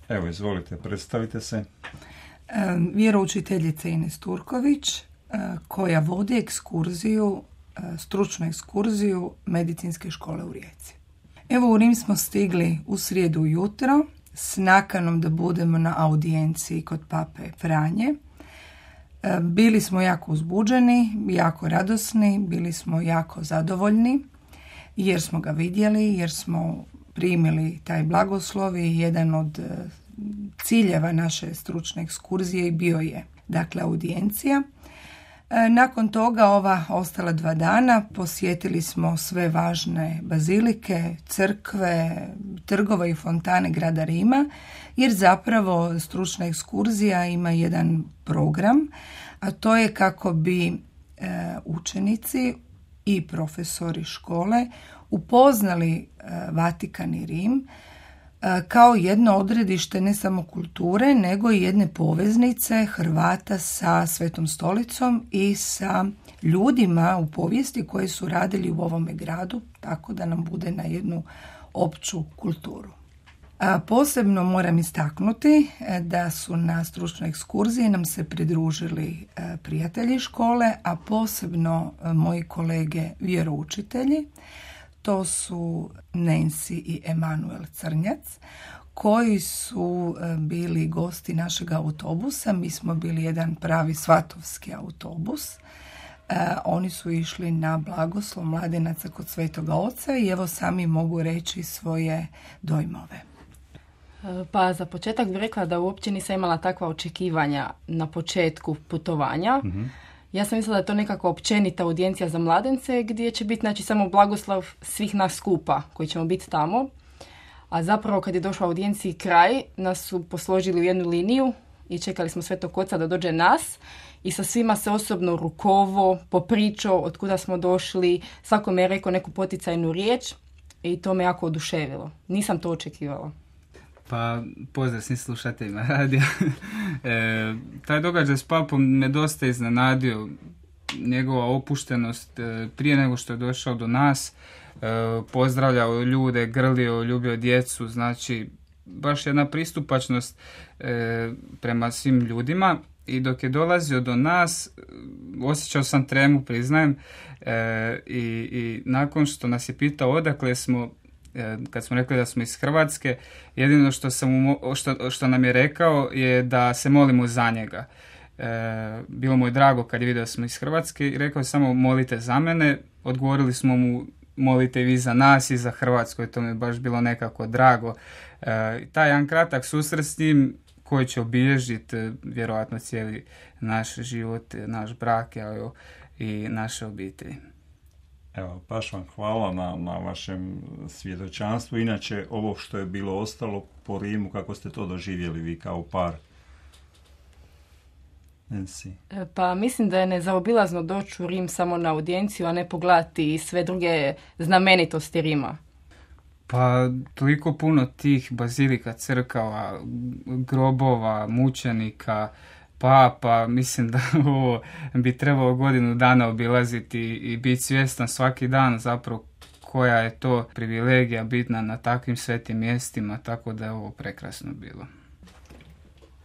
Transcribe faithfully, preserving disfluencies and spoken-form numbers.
Evo, izvolite, predstavite se. Vjeroučiteljica Ines Turković, koja vodi ekskurziju, stručnu ekskurziju medicinske škole u Rijeci. Evo, u Rim smo stigli u srijedu ujutro s nakanom da budemo na audijenciji kod pape Franje. Bili smo jako uzbuđeni, jako radosni, bili smo jako zadovoljni jer smo ga vidjeli, jer smo primili taj blagoslov i jedan od ciljeva naše stručne ekskurzije i bio je, dakle, audijencija. Nakon toga, ova ostala dva dana, posjetili smo sve važne bazilike, crkve, trgove i fontane grada Rima, jer zapravo stručna ekskurzija ima jedan program, a to je kako bi e, učenici i profesori škole upoznali e, Vatikan i Rim e, kao jedno odredište ne samo kulture, nego i jedne poveznice Hrvata sa Svetom stolicom i sa ljudima u povijesti koji su radili u ovome gradu, tako da nam bude na jednu opću kulturu. A posebno moram istaknuti da su na stručnoj ekskurziji nam se pridružili prijatelji škole, a posebno moji kolege vjeroučitelji. To su Nancy i Emanuel Crnjac, koji su bili gosti našeg autobusa. Mi smo bili jedan pravi svatovski autobus. Oni su išli na blagoslov mladenaca kod Svetoga Oca i evo sami mogu reći svoje dojmove. Pa za početak bih rekla da uopće nisam imala takva očekivanja na početku putovanja. Mm-hmm. Ja sam mislila da je to nekako općenita audijencija za mladence gdje će biti, znači, samo blagoslov svih nas skupa koji ćemo biti tamo. A zapravo kad je došla audijenciji kraj, nas su posložili u jednu liniju i čekali smo Svetog Oca da dođe nas i sa svima se osobno rukovo, popričao od kuda smo došli, svakome je rekao neku poticajnu riječ i to me jako oduševilo. Nisam to očekivala. Pa, pozdrav svim slušateljima radija. e, taj događaj s papom me dosta iznenadio. Njegova opuštenost e, prije nego što je došao do nas, e, pozdravljao ljude, grlio, ljubio djecu, znači baš jedna pristupačnost e, prema svim ljudima. I dok je dolazio do nas, osjećao sam tremu, priznajem, e, i, i nakon što nas je pitao odakle smo, kad smo rekli da smo iz Hrvatske, jedino što, sam, što, što nam je rekao je da se molimo za njega. E, bilo mu je drago kad je vidio da smo iz Hrvatske i rekao je samo molite za mene. Odgovorili smo mu molite vi za nas i za Hrvatsku i to mi je baš bilo nekako drago. E, taj jedan kratak susret s njim koji će obilježiti vjerojatno cijeli naš život, naš brak, evo, i naše obitelji. Evo, baš vam hvala na, na vašem svjedočanstvu. Inače, ovo što je bilo ostalo po Rimu, kako ste to doživjeli vi kao par? Nancy. Pa mislim da je nezaobilazno doći u Rim samo na audijenciju, a ne pogledati sve druge znamenitosti Rima. Pa toliko puno tih bazilika, crkava, grobova, mučenika, papa, mislim da ovo bi trebalo godinu dana obilaziti i biti svjestan svaki dan zapravo koja je to privilegija bitna na takvim svetim mjestima, tako da je ovo prekrasno bilo.